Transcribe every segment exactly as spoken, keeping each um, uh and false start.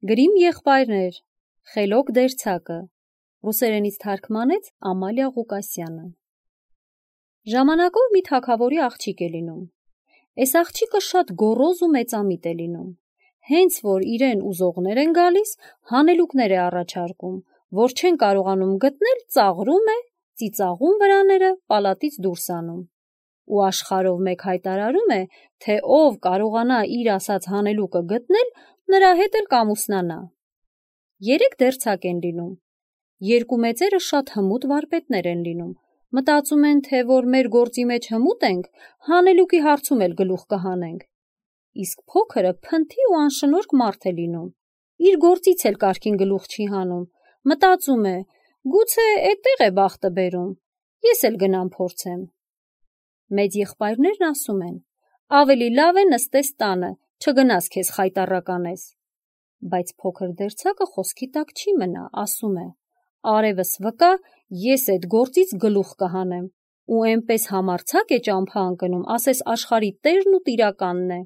Գրիմ եղբայրներ, խելոք դերձակը, ռուսերենից թարգմանեց Ամալիա Ղուկասյանը։ Ժամանակով մի թագավորի աղջիկ է լինում։ Այս աղջիկը շատ գոռոզ ու մեծամիտ է լինում։ Հենց որ իրեն ուզողներ են գալիս, հանելուկներ է առաջարկում, որ չեն կարողանում գտնել, ծաղրում է, ծիծաղում վրաները, պալատից դուրս անում։ Ու աշխարհով մեկ հայտարարում է, թե ով կարողանա իր ասած հանելուկը գտնել, նրա հետ էլ կամուսնանա։ Երեք դերձակ են լինում։ Երկու մեծերը շատ հմուտ վարպետներ են լինում։ Մտածում են, թե որ մեր գործի մեջ հմուտ ենք, հանելուկի հարցում էլ գլուխ կհանենք։ Իսկ փոքրը փնթի ու անշնորհք մարդ է լինում։ Իր գործից էլ կարգին գլուխ չի հանում։ Մտածում է, գուցե էդտեղ է բախտը բերում։ Ես էլ գնամ փորձեմ։ Մեծ եղբայրներն ասում են. ավելի լավ է նստես տանը, չգնաս քեզ խայտառականես։ Բայց փոքր դերձակը խոսքի տակ չի մնա, ասում է. արևս վկա, ես այդ գործից գլուխ կհանեմ, ու այնպես համարձակ է ճամփա ընկնում, ասես աշխարհի տերն ու տիրականն է։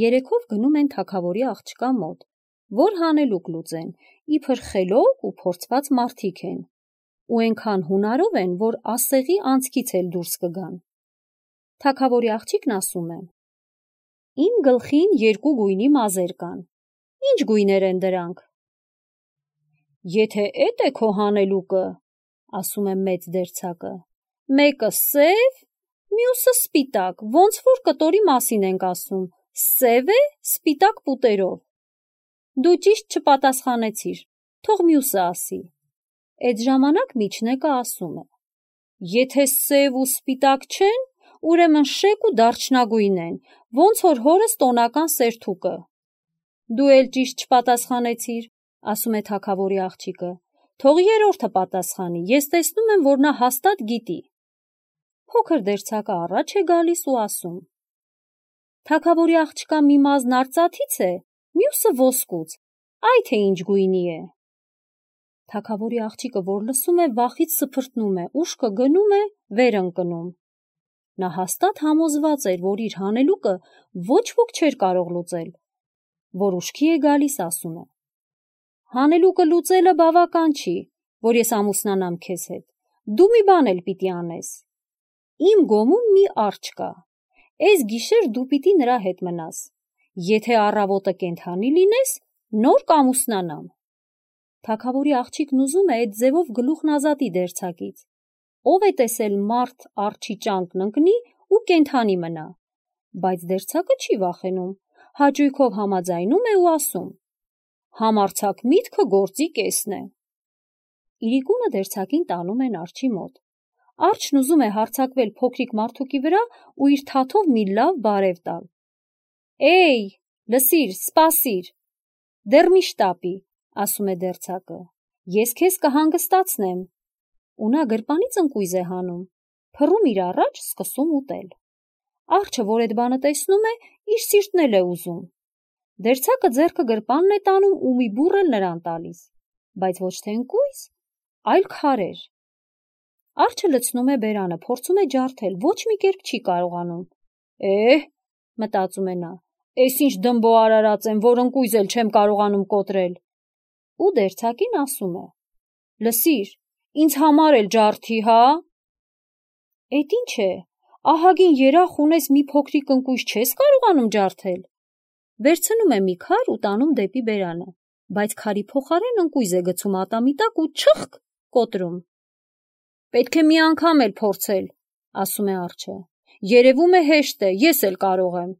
Երեքով գնում են թագավորի աղջկա մոտ, որ հանելուկ լուծեն, իբր խելոք ու փորձված մարդիկ են, ու այնքան հունարով են, որ ասեղի անցքից էլ դուրս կգան։ Թագավորի աղջիկն ասում է. իմ գլխին երկու գույնի մազեր կան։ Ինչ գույներ են դրանք։ Եթե էդ է քո հանելուկը, ասում է մեծ դերձակը, մեկը սև, մյուսը սպիտակ, ոնց որ կտորի մասին ենք ասում, սև է սպիտակ պուտերով։ Դու ճիշտ չպատասխանեցիր, թող մյուսը ասի։ Այդ ժամանակ միջնեկը ասում է. եթե սև ու սպիտակ չեն, ուրեմն շեկ ու դարչնագույն են, ոնց որ հորս տոնական սերթուկը։ Դու էլ ճիշտ չպատասխանեցիր, ասում է թագավորի աղջիկը, թող երրորդը պատասխանի, ես տեսնում եմ, որ նա հաստատ գիտի։ Փոքր դերձակը առաջ է գալիս ու ասում. թագավորի աղջկա մի մազն արծաթից է, մյուսը ոսկուց, այ թե ինչ գույնի է։ Թագավորի աղջիկը, որ լսում է, վախից սփրտնում է, ուշքը գնում է, վեր ընկնում։ Նա հաստատ համոզված էր, որ իր հանելուկը ոչ ոք չէր կարող լուծել, որ ուշքի է գալիս, ասում է. հանելուկը լուծելը բավական չի, որ ես ամուսնանամ քեզ հետ, դու մի բան էլ պիտի անես։ Իմ գոմում մի արջ կա, այս գիշեր դու պիտի նրա հետ մնաս, եթե առավոտը կենդանի լինես, նոր կամուսնանամ։ Թագավորի աղջիկն ուզում է այդ ձևով գլուխն ազատի դերձակից, ով է տեսել մարդ արջի ճանկն ընկնի ու կենդանի մնա, բայց դերձակը չի վախենում, հաճույքով համաձայնում է ու ասում. համարձակ միտքը գործի կեսն է։ Իրիկունը դերձակին տանում են արջի մոտ։ Արջն ուզում է հարձակվել փոքրիկ մարդուկի վրա ու իր թաթով մի լավ բարև տալ։ Էյ, լսիր, սպասիր, դեռ մի շտապի, ասում է դերձակը, ես քեզ կհանգստացնեմ։ Ու նա գրպանից ընկույզ է հանում, փռում իր առաջ, սկսում ուտել։ Արջը, որ այդ բանը տեսնում է, իր սիրտն էլ է ուզում։ Դերձակը ձեռքը գրպանն է տանում ու մի բուռ էլ նրան տալիս, բայց ոչ թե ընկույզ, այլ քարեր։ Արջը լցնում է բերանը, փորձում է ջարդել, ոչ մի կերպ չի կարողանում։ Էհ, մտածում է նա, էս ինչ դմբո արարած եմ, որ ընկույզ էլ չեմ կարողանում կոտրել։ Ու դերձակին ասում է. լսիր, ինձ համար էլ ջարդի, հա։ Էդ ինչ է, ահագին երախ ունես մի փոքրիկ ընկույզ չես կարողանում ջարդել։ Վերցնում է մի քար ու տանում դեպի բերանը, բայց քարի փոխարեն ընկույզ է գցում ատամի տակ ու չխկ կոտրում։ Պետք է մի անգամ էլ փորձել, ասում է արջը, երևում է հեշտ է, ես էլ կարող եմ։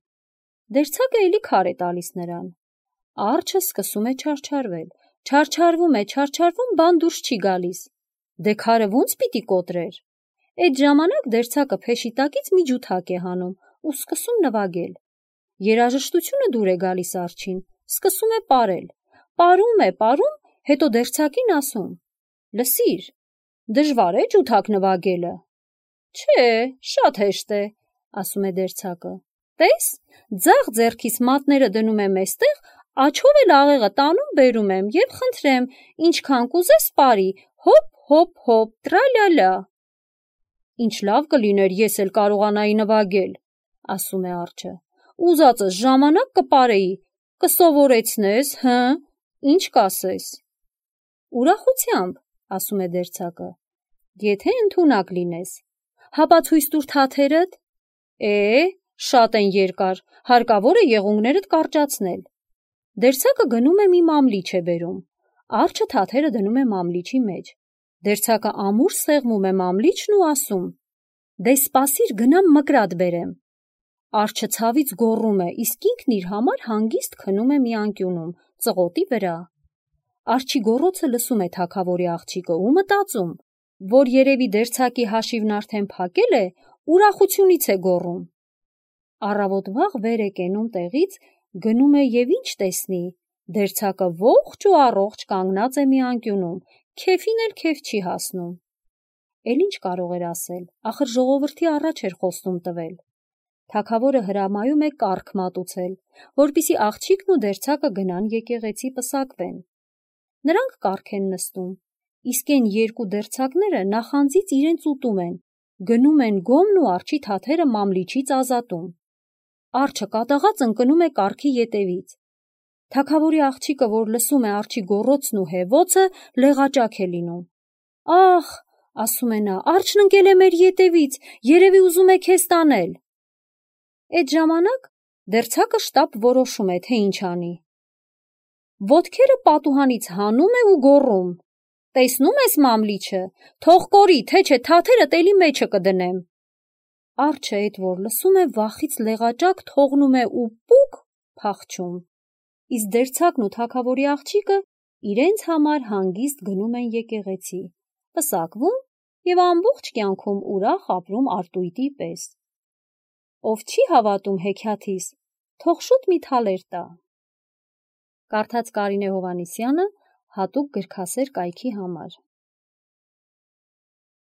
Դերձակը էլի քար է տալիս նրան։ Արջը սկսում է չարչարվել, չարչարվում է, չարչարվում, բան դուրս չի գալիս։ Դե քարը ո՞նց պիտի կոտրեր։ Այդ ժամանակ դերձակը փեշի տակից մի ջութակ է հանում ու սկսում նվագել։ Երաժշտությունը դուր է գալիս արջին, սկսում է պարել, պարում է, պարում, հետո դերձակին ասում. լսիր, դժվար է ջութակ նվագելը։ Չէ, շատ հեշտ է, ասում է դերձակը։ Տես, ձախ ձեռքիս մատները դնում եմ էստեղ, աչով էլ աղեղը տանում բերում եմ եւ խնդրեմ, ինչքան կուզես պարի, հոп, հոп, հոп, տրալալա։ Ինչ լավ կլիներ ես էլ կարողանայի նվագել, ասում է արջը։ Ուզածս ժամանակ կպարեի, կսովորեցնես, հը, ինչ կասես։ Ուրախությամբ, ասում է դերձակը, եթե ընդունակ լինես։ Հապա ցույց տուր թաթերդ։ Է, շատ են երկար, հարկավոր է եղունգներդ կարճացնել։ Դերձակը գնում է մի մամլիչ է բերում։ Արջը թաթերը դնում է մամլիչի մեջ։ Դերձակը ամուր սեղմում է մամլիչն ու ասում. «Դե սպասիր, գնամ մկրատ բերեմ»։ Արջը ցավից գոռում է, իսկ ինքն իր համար հանգիստ քնում է մի անկյունում, ծղոտի վրա։ Արջի գոռոցը լսում է թագավորի աղջիկը ու մտածում, որ երևի դերձակի հաշիվն արդեն փակել է, ուրախությունից է գոռում։ Առավոտ վաղ վեր է կենում տեղից, գնում է և ինչ տեսնի, դերձակը ողջ ու առողջ կանգնած է մի անկյունում, քեֆին էլ քեֆ չի հասնում։ Էլ ինչ կարող էր ասել, ախր ժողովրդի առաջ էր խոստում տվել։ Թագավորը հրամայում է կառք մատուցել, որպեսզի աղջիկն ու դերձակը գնան եկեղեցի պսակվեն։ Նրանք կառք են նստում, իսկ այն երկու դերձակները նախանձից իրենց ուտում են, գնում են գոմն ու արջի թաթերը մամլիչից ազատում։ Արջը կատաղած ընկնում է կառքի ետևից։ Թագավորի աղջիկը, որ լսում է արջի գոռոցն ու հևոցը, լեղաճակ է լինում։ Ախ, ասում է նա, արջն ընկել է մեր ետևից, երևի ուզում է քեզ տանել։ Այդ ժամանակ դերձակը շտապ որոշում է, թե ինչ անի։ Ոտքերը պատուհանից հանում է ու գոռում. «Տեսնում ես մամլիչը, թող կորի, թե չէ թաթերը տելի մեջը կդնեմ»։ Արջը էդ որ լսում է, վախից լեղաճակ թողնում է ու պուկ փախչում։ Իսկ դերձակն ու թագավորի աղջիկը իրենց համար հանգիստ գնում են եկեղեցի, պսակվում և ամբողջ կյանքում ուրախ ապրում արտույտի պես։ Ով չի հավատում հեքիաթիս, թող շուտ մի թալեր տա։ Կարդաց Կարինե Հովհաննիսյանը հատուկ գրքասեր կայքի համար։